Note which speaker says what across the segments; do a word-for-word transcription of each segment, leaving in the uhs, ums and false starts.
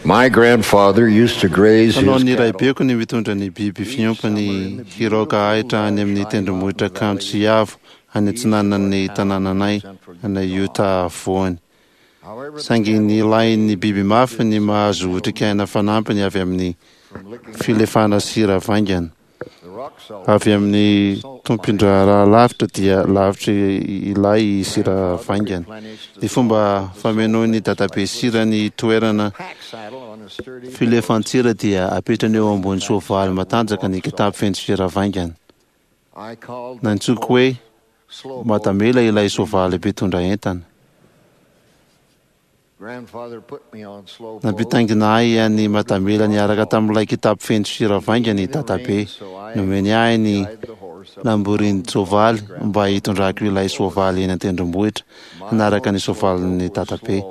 Speaker 1: My grandfather used to graze his
Speaker 2: Fanaon'ny
Speaker 1: cattle
Speaker 2: raibeko ny mitondra ny biby fiompiny hiraoka ahitra any amin'ny tendrombohitra kanto sy avo any atsinanan'ny tanànanay any Utah afovoany.
Speaker 1: However,
Speaker 2: Saingy nilain'ny biby mafy ny mahazo otrikaina fanampiny avy amin'ny
Speaker 1: from licking
Speaker 2: filefana sira vaingana.
Speaker 1: the rock salt
Speaker 2: Avy amin'ny tompon-draharaha lavitra dia lavitra ilay sira vaingana. Ny fomba famenoan'ny dadabe sira ny toerana
Speaker 1: pack saddle on a sturdy
Speaker 2: filefan-tsira dia apetrany eo ambony soavaly matanjaka ny kitapo feno sira vaingana.
Speaker 1: I called the
Speaker 2: Nantsoiko hoe
Speaker 1: slow
Speaker 2: Madamela ilay soavaly mpitondra entana.
Speaker 1: Grandfather put me on slow
Speaker 2: Nampitaingina ahy any Madamela niaraka tamin'ilay kitapo feno sira vaingana i dadabe. Nomeny ahy ny lamborin-tsoavaly mba hitondrako ilay soavaly eny an-tendrombohitra hanaraka ny soavalin'ny dadabe.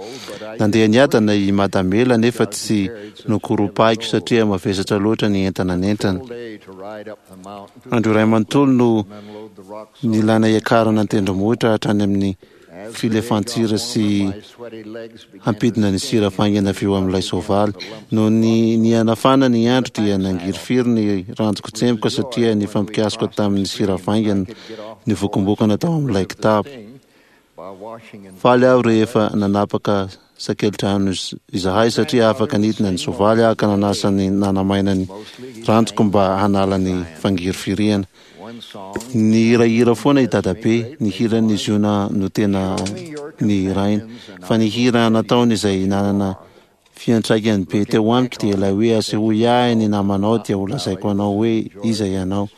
Speaker 2: Nandeha niadana i Madamela nefa tsy nokoropahiko satria mavesatra loatra ny entana nentiny.
Speaker 1: day to ride up the mountain to
Speaker 2: Andro iray manontolo no
Speaker 1: and unload the rock salt.
Speaker 2: nilana hiakarana an-tendrombohitra hatrany amin'ny
Speaker 1: As the day
Speaker 2: filefan-tsira
Speaker 1: got
Speaker 2: sy
Speaker 1: warmer, my sweaty legs began to
Speaker 2: hampidina ny sira vaingana avy eo amin'ilay soavaly. Noho ny nihanafana ny andro dia nangirifiry ny ranjoko tsemboka satria nifampikasoka tamin'ny sira vaingana nivokombokana tao amin'ilay kitapo.
Speaker 1: by washing and
Speaker 2: Faly aho rehefa nanapaka sakelidrano iz- izahay satria afaka nidina ny soavaly aho ka nanasa ny nanamaina ny ranjoko mba hanala ny fangirifiriana.
Speaker 1: one song
Speaker 2: Nihirahira foana i dadabe, ny hiran'ny Ziona no tena nihirainy, fa ny hira nataony izay nanana fiantraikany be teo amiko dia ilay hoe asehoy ahy ny namanao dia ho lazaiko anao hoe iza ianao.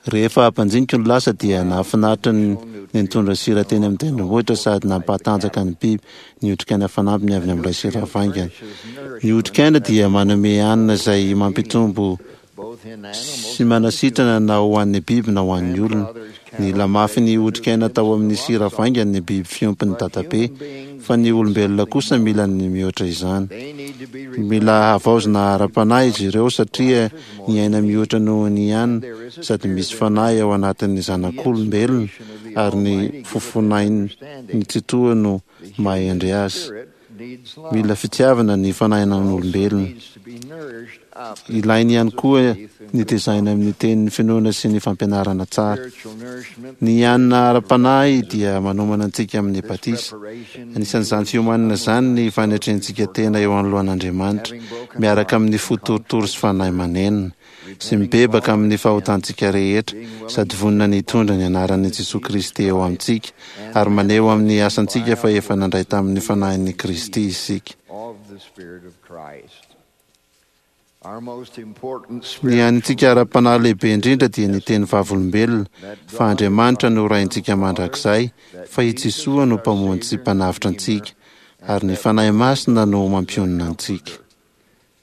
Speaker 2: Rehefa ampanjinika ny lasa dia nahafinaritra ny ny nitondra sira teny amin'ny tendrombohitra sady nampahatanjaka ny biby ny otrikaina fanampiny avy amin'ilay sira vaingana. Ny otrikaina dia manome hanina izay mampitombo
Speaker 1: both in animals
Speaker 2: sy manasitrana na ho an'ny biby na ho an'ny olona. Nila mafy ny otrikaina tao amin'ny sira vaingana ny biby fiompin'ny dadabe, fa ny olombelona kosa mila ny mihoatra izany.
Speaker 1: they need to be
Speaker 2: Mila havaozina ara-panahy izy ireo satria ny aina mihoatra noho ny hanina sady misy fanahy ao anatin'ny zanak'olombelona ary ny fofonain'ny Tsitoha no maha-hendry azy.
Speaker 1: spirit needs love
Speaker 2: Mila fitiavana ny fanahinan'olombelona.
Speaker 1: needs to be nourished up
Speaker 2: Ilainy ihany koa ny tezaina amin'ny tenin'ny finoana sy ny fampianarana tsara.
Speaker 1: spiritual nourishment
Speaker 2: Ny hanina ara-panahy dia manomana antsika amin'ny batisa.
Speaker 1: preparation
Speaker 2: Anisan'izany fiomanana izany ny fanetrentsika tena eo anoloan'Andriamanitra, miaraka amin'ny fo torotoro sy fanahy manenina, sy mibebaka amin'ny fahotantsika rehetra, sady vonona ny hitondra ny anaran'i Jesoa Kristy eo amintsika, ary maneho amin'ny asantsika fa efa nandray tamin'ny fanahin'i Kristy isika.
Speaker 1: of the Spirit of Christ. Our most important
Speaker 2: Ny
Speaker 1: spiritual
Speaker 2: hanintsika ara-panahy lehibe indrindra dia ny teny vavolombelona fa Andriamanitra no Raintsika mandrakizay, fa i Jesoa no mpamonjy sy mpanavotra antsika, ary ny Fanahy Masina no mampionona antsika.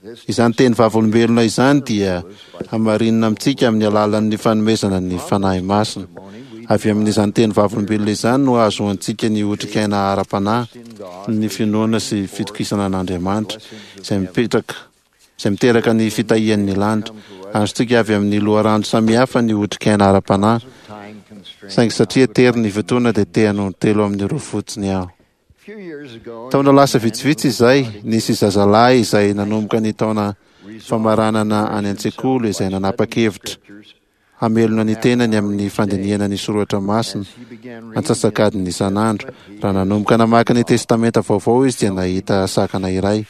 Speaker 1: this
Speaker 2: Izany teny vavolombelona izany dia hamarinina amintsika amin'ny alalan'ny fanomezana ny Fanahy Masina. Avy amin'izany teny vavolombelona izany no ahazoantsika ny otrikaina ara-panahy, ny finoana sy fitokisana an'Andriamanitra, izay mipetraka izay miteraka ny fitahian'ny lanitra. Azontsika avy amin'ny loharano samihafa ny otrikaina ara-panahy,
Speaker 1: time constraint.
Speaker 2: saingy satria tery ny fotoana dia te hanao telo amin'ireo fotsiny aho.
Speaker 1: A few years ago,
Speaker 2: Taona lasa vitsivitsy izay, nisy zazalahy izay nanomboka ny taona famaranana any an-tsekoly izay nanapa-kevitra hamelona ny tenany amin'ny fandinihana ny soratra masina
Speaker 1: he began reading
Speaker 2: antsasakadiny isan'andro. Raha nanomboka namaky ny testamenta vaovao izy dia nahita sakana iray.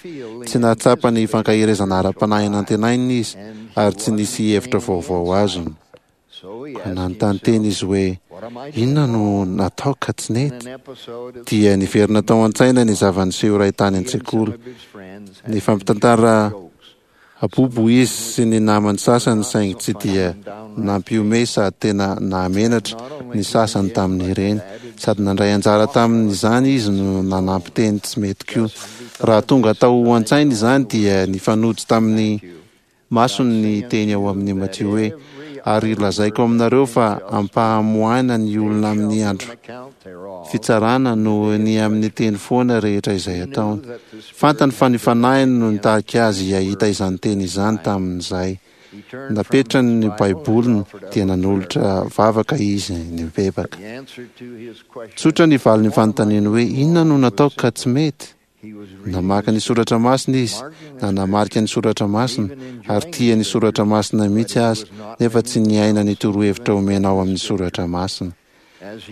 Speaker 2: Tsy nahatsapa ny fankaherezana ara-panahy nantenainy izy ary tsy nisy hevitra vaovao azony.
Speaker 1: so he
Speaker 2: Ka
Speaker 1: asked
Speaker 2: nanontany tena izy hoe
Speaker 1: what am I
Speaker 2: inona no natao ka tsy
Speaker 1: in
Speaker 2: nety?
Speaker 1: an episode of
Speaker 2: Dia niverina tao an-tsaina ny zava-niseho iray tany
Speaker 1: he and some
Speaker 2: an-tsekoly.
Speaker 1: of his friends
Speaker 2: Ny
Speaker 1: had
Speaker 2: fampitantara
Speaker 1: jokes.
Speaker 2: abobo izy sy ny namany sasany saingy tsy dia nampihomehy sady tena nahamenatra ny sasany tamin'ireny. Sady nandray anjara tamin'izany izy no nanampy teny tsy mety koa. Raha tonga tao an-tsaina izany dia nifanojo tamin'ny masony ny teny ao amin'ny Matio hoe ary lazaiko aminareo fa ampahamoahina ny olona amin'ny andro
Speaker 1: Account thereof
Speaker 2: fitsarana noho ny amin'ny teny foana rehetra izay ataony. Fantany fa ny fanahiny no nitarika azy hahita izany teny izany tamin'izay.
Speaker 1: he turned from
Speaker 2: Napetrany
Speaker 1: his
Speaker 2: ny
Speaker 1: Bible and
Speaker 2: Baiboliny
Speaker 1: offered up
Speaker 2: dia
Speaker 1: a prayer.
Speaker 2: nanolotra vavaka izy nibebaka.
Speaker 1: The answer to his question
Speaker 2: Tsotra ny valin'ny fanontaniany hoe inona no nataoko ka tsy mety? Namaky ny soratra masina izy, nanamarika ny soratra masina, ary tia ny soratra masina mihitsy aza, nefa tsy niaina ny torohevitra omena ao amin'ny soratra masina.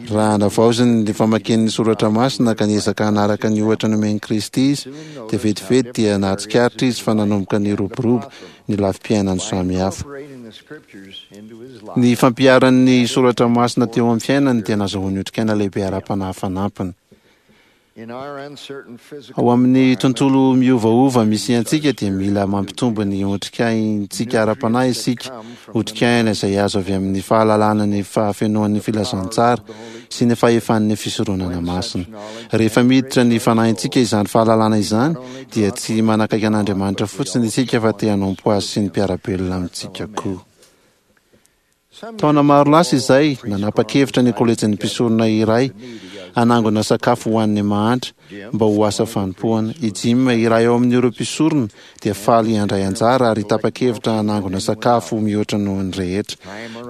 Speaker 2: Raha navaoziny ny famakiany ny soratra masina ka niezaka hanaraka ny ohatra nomen'i Kristy izy, dia vetivety dia nahatsikaritra izy fa nanomboka niroborobo ny lafim-piainany samihafa. Ny fampiharany ny soratra masina teo amin'ny fiainany dia nahazoany otrikaina lehibe ara-panahy fanampiny. Ao amin'ny tontolo miovaova misy antsika dia mila mampitombo ny otrikaintsika ara-panahy isika, otrikaina izay azo avy amin'ny fahalalana ny fahafenoan'ny filazantsara sy ny fahefan'ny fisoronana masina. Rehefa miditra ny fanahintsika izany fahalalana izany dia tsy manakaiky an'Andriamanitra fotsiny isika fa te hanompo azy sy ny mpiara-belona amintsika koa. Taona maro lasa izay, nanapa-kevitra ny kolejin'ny mpisorona iray hanangona sakafo ho an'ny mahantra mba ho asa fanompoana. I Jim, iray ao amin'ireo mpisorona, dia faly handray anjara ary tapa-kevitra hanangona sakafo mihoatra noho ny rehetra.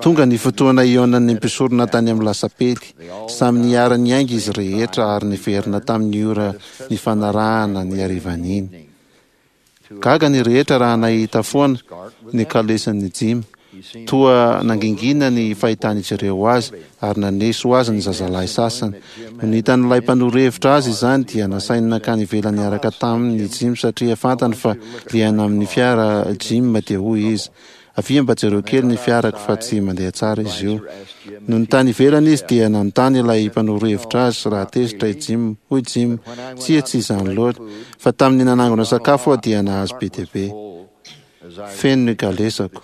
Speaker 2: Tonga ny fotoana hihaonan'ny mpisorona tany amin'ny lasapely. Samy niara-niainga izy rehetra ary niverina tamin'ny ora nifanarahana ny harivan'iny. Gaga ny rehetra raha nahita foana ny kalesin'i Jim. Toa nangingina ny fahitan'izy ireo azy ary naneso azy ny zazalahy sasany. Nony hitan'ilay mpanoro hevitra azy izany dia nasainy nankany ivelany niaraka taminy i Jim satria fantany fa liana amin'ny fiara Jim, dia hoy izy, "Avia mba jereo kely ny fiarako fa tsy mandeha tsara izy io." Nony tany ivelany izy dia nanontany ilay mpanoro hevitra azy raha tezitra i Jim. Hoy Jim, "Tsia, tsy izany loatra, fa tamin'ny nanangona sakafo aho dia nahazo be dia be. Feno ny kalesako.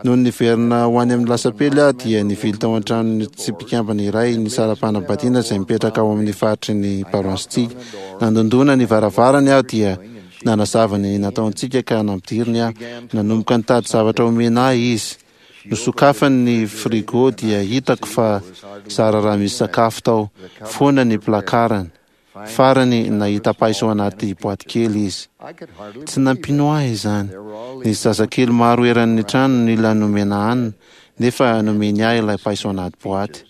Speaker 2: Nony niverina ho any amin'ny lasapely aho dia nivily tao an-tranon'ny tsy mpikambana iray nisara-panambadiana izay mipetraka ao amin'ny faritry ny paroasintsika. Nandondona ny varavarany aho dia nanazava ny nataontsika ka nampidiriny aho. Nanomboka nitady zavatra omena ahy izy. Nosokafany ny frigo dia hitako fa zara raha misy sakafo tao. Foana ny plakarany. Farany, nahita paiso anaty boaty kely izy. Tsy nampino ahy izany. Nisy zazakely maro eran'ny trano nila nomena hanina, nefa nomeny ahy ilay paiso anaty boaty.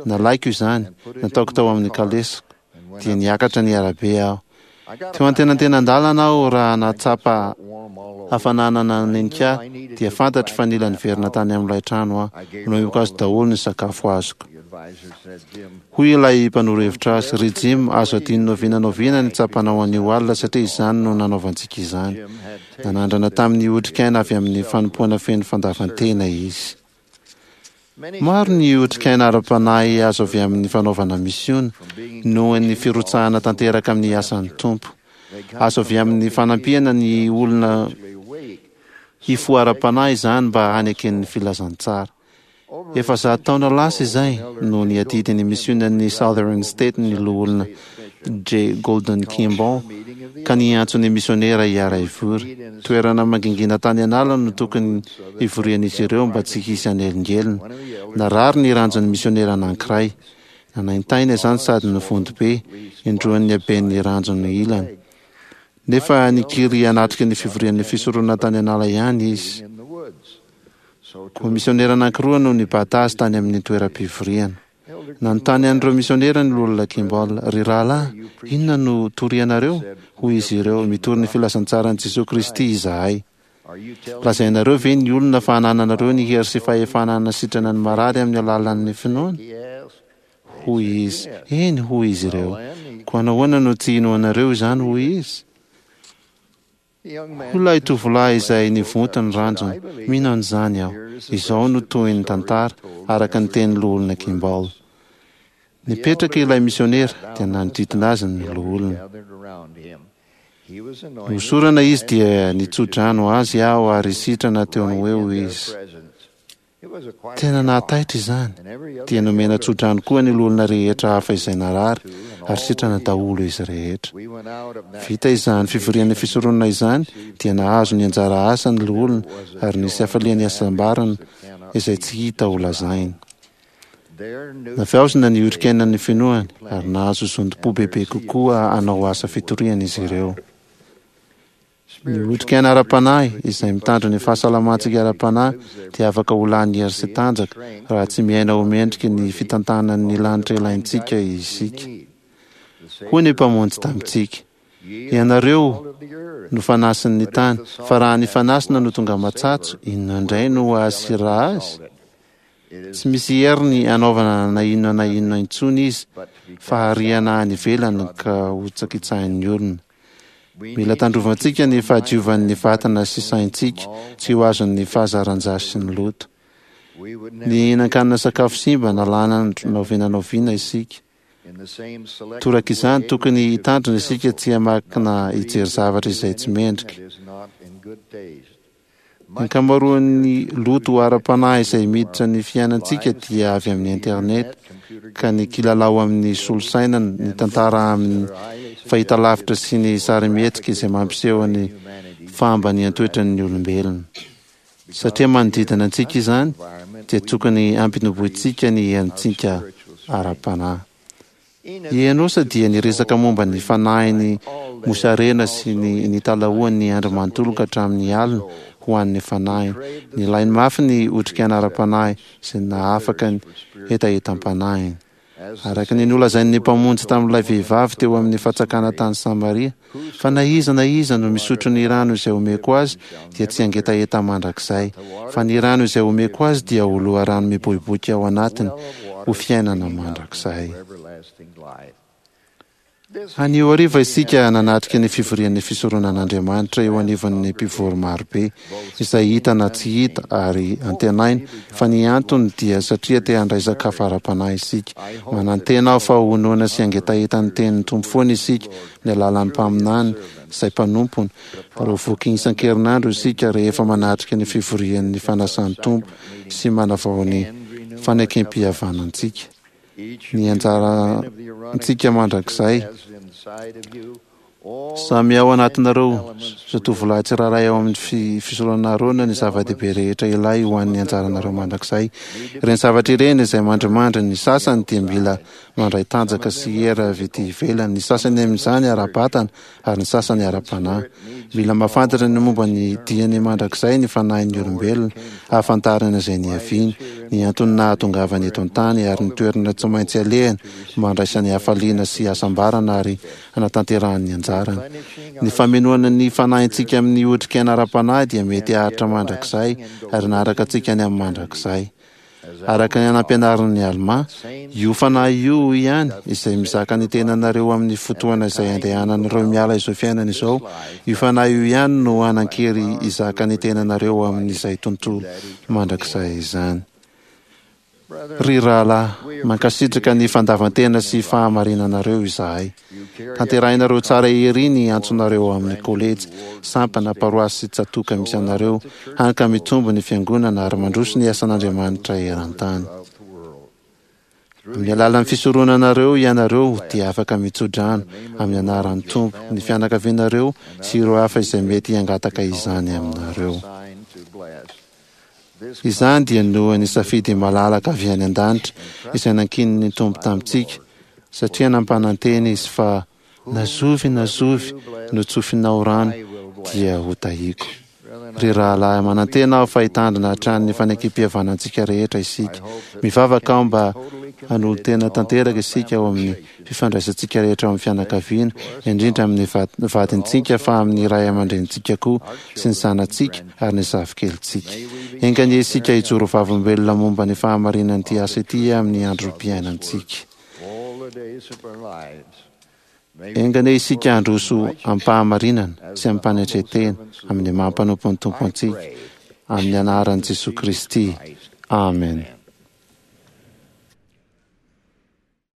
Speaker 2: Nalaiko izany, nataoko tao amin'ny kalesiko, dia niakatra ny arabe aho. Teo antenantenan-dalana aho raha nahatsapa hafanana nanenika ahy, dia fantatro fa nila niverina tany amin'ilay trano aho. Nomeko azy daholo ny sakafo azoko. Hoy ilay mpanoro hevitra azy, "Ry Jim, azo adino n'oviana n'oviana ny tsapanao anio alina satria izany no nanaovantsika izany." Nanandrana tamin'ny otrikaina avy amin'ny fanompoana feno fandavan-tena izy. Maro ny otrikaina ara-panahy azo avy amin'ny fanaovana misiona, noho ny firotsahana tanteraka amin'ny asan'ny Tompo. Azo avy amin'ny fanampiana ny olona hifoha ara-panahy izany mba hanekeny ny filazantsara. Efa zato taona lasa izay no niadidy ny misionan'ny Southern State ny loholona J. Golden Kimball ka niantso ny misionera hiara-hivory. Toerana mangingina tany an'ala no tokony hivorian'izy ireo mba tsy hisy hanelingelina. Narary ny ranjon'ny misionera anankiray. Nanaintaina izany sady nivonto be, indroan'ny haben'ny ranjony ilany. Nefa nikiry hanatrika ny fivorian'ny fisoronana tany an'ala ihany izy. Koa misionera anankiroa no nibata azy tany amin'ny toeram-pivoriana. Nanontany an'ireo misionera ny loholona Kimball, "Ry rahalahy, inona no torianareo?" Hoy izy ireo, "Mitory ny filazantsaran'i Jesoa Kristy izahay. Lazainareo ve ny olona fa anananareo ny hery sy fahefana hanasitrana ny marary amin'ny alalan'ny finoana?" Hoy izy, "Eny," hoy izy ireo. "Koa nahoana no tsy inoanareo izany?" Hoy izy. Hoy ilay tovolahy izay nivonto ny ranjony, "Mino an'izany aho." Izao no tohin'ny tantara, araka ny tenin'ny loholona Kimball. Nipetraka ilay misionera, dia nanodidina azy ny loholona. Nohosorana izy dia nitso-drano azy aho ary sitrana teo no eo izy. Tena nahataitra izany. Dia nomena tso-drano koa ny loholona rehetra hafa izay narary, ary sitrana daholo izy rehetra. Vita izany fivorian'ny fisoronana izany, dia nahazo ny anjara asa ny loholona, ary nisy hafalian'ny hasambarana izay tsy hita ho lazaina. Navaozina ny otrikainan'ny finoany, ary nahazo zotom-po bebe kokoa hanao asa fitoriana izy ireo. Ny otrikaina ara-panahy, izay mitandro ny fahasalamantsika ara-panahy, dia afaka ho lany hery sy tanjaka raha tsy miaina ho mendriky ny fitantanan'ny lanitra ilaintsika isika. Hoy ny Mpamonjy tamintsika: "Ianareo no fanasin'ny tany, fa raha ny fanasina no tonga matsatso, inona indray no hahasira azy? Tsy misy heriny hanaovana na inona na inona intsony izy, fa hariana any ivelany ka hohitsakitsahin'ny olona." Mila tandrovantsika ny fahadiovan'ny vatana sy saintsika tsy ho azon'ny fahazaran-dratsy sy ny loto. Ny hihinan-kanina sakafo simba na lany andro na oviana na oviana isika. Toraka izany, tokony hitandrina isika tsy hamaky na hijery zavatra izay tsy mendrika. Ny ankamaroan'ny loto ara-panahy izay miditra ny fiainantsika dia avy amin'ny internet, ka ny kilalao amin'ny solosaina, ny tantara amin'ny fahitalavitra sy ny sarimihetsika izay mampiseho ny fahambanian-toetran'ny olombelona. Satria manodidina antsika izany, dia tokony hampitombointsika ny herintsika ara-panahy. I Enosa dia niresaka momba ny fanahiny mosarena sy ny nitalahoany ny andro manontolo ka hatramin'ny alina ho an'ny fanahiny. Nilainy mafy ny otrikaina ara-panahy izay nahafaka ny hetahetam-panahiny. Araka ny nolazain'ny Mpamonjy tamin'ilay vehivavy teo amin'ny fatsakana tany Samaria, Fa na iza na iza no misotro ny rano izay omeko azy dia tsy hangetaheta mandrakizay, fa ny rano izay omeko azy dia ho loharano miboiboika ao anatiny ho fiainana mandrakizay. Anio hariva isika nanatrika ny fivorian'ny fisoronan'Andriamanitra eo anivon'ny mpivory marobe, izay hita na tsy hita, ary antenaina fa ny antony dia satria te handray sakafo ara-panahy isika. Manantena aho fa ho noana sy hangetaheta ny tenin'ny Tompo foana isika amin'ny alalan'ny mpaminany izay mpanompony, ary ho voky isan-kerinandro isika rehefa manatrika ny fivorian'ny fanasan'ny Tompo sy manavao ny fanekempihavanantsika. Ny anjarantsika mandrakizay. Samy ao anatinareo zatovolahy tsirairay ao amin'ny fisoronana Arona ny zava-dehibe rehetra ilay ho an'ny anjaranareo mandrakizay. Ireny zavatra ireny izay mandrimandry ny sasany dia mila mandray tanjaka sy hery avy ety ivelany, ny sasany amin'izany ara-batana ary ny sasany ara-panahy. Mila mahafantatra ny momba ny diany mandrakizay ny fanahin'ny olombelona, hahafantarana izay niaviany, ny antony nahatongavany eto an-tany, ary ny toerana tsy maintsy alehany mba handraisany hafaliana sy hasambarana ary hanatanterahany ny anjarany. Ny famenoana ny fanahintsika amin'ny otrikaina ara-panahy dia mety haharitra mandrakizay ary hanaraka antsika any amin'ny mandrakizay. Araka ny nampianarin'i Almà, io Fanahy io ihany, izay mizaka ny tenanareo amin'ny fotoana izay andehananareo miala izao fiainana izao, io Fanahy io ihany no hanan-kery hizaka ny tenanareo amin'izay tontolo mandrakizay izany. Ry rahalahy, mankasitraka ny fandavan-tena sy fahamarinanareo izahay. Tanterahinareo tsara ery ny antsonareo ao amin'ny kolejy, sampana, paroasy sy tsatòka misy anareo, hany ka mitombo ny Fiangonana ary mandroso ny asan'Andriamanitra eran-tany. Amin'ny alalan'ny fisoronanareo ianareo dia afaka mitso-drano amin'ny anaran'ny Tompo ny fianakavianareo sy ireo hafa izay mety hangataka izany aminareo. Izany dia noho ny safidy malalaka avy any an-danitra izay nankinin'ny Tompo tamintsika, satria nampanantena Izy fa na zovy na zovy no tsofinao rano dia hotahiako. Ry rahalahy, manantena aho fa hitandrina hatrany ny fanekempihavanantsika rehetra isika. Mivavaka aho mba hanolo-tena tanteraka isika ao amin'ny fifandraisantsika rehetra ao amin'ny fianakaviana, indrindra amin'ny vadintsika fa amin'ny ray aman-drenintsika koa sy ny zanatsika ary ny zafikelintsika. Enga anie isika hijoro vavolombelona momba ny fahamarinan'ity asa ity amin'ny androm-piainantsika. Enga anie isika handroso amim-pahamarinana sy amim-panetren-tena amin'ny maha mpanompon'ny Tompo antsika, amin'ny anaran'i Jesoa Kristy. Amen.